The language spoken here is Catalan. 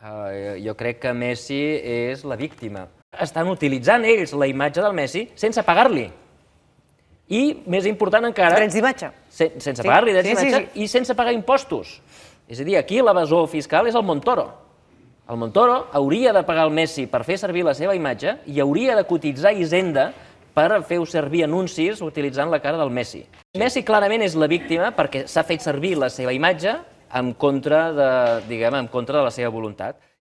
Jo crec que Messi és la víctima. Estan utilitzant ells la imatge del Messi sense pagar-li. I, més important encara... Drets d'imatge. Sense pagar-li drets d'imatge i sense pagar impostos. És a dir, aquí l'evasor fiscal és el Montoro. El Montoro hauria de pagar el Messi per fer servir la seva imatge i hauria de cotitzar Hisenda per fer servir anuncis utilitzant la cara del Messi. Messi clarament és la víctima perquè s'ha fet servir la seva imatge en contra de la seva voluntat.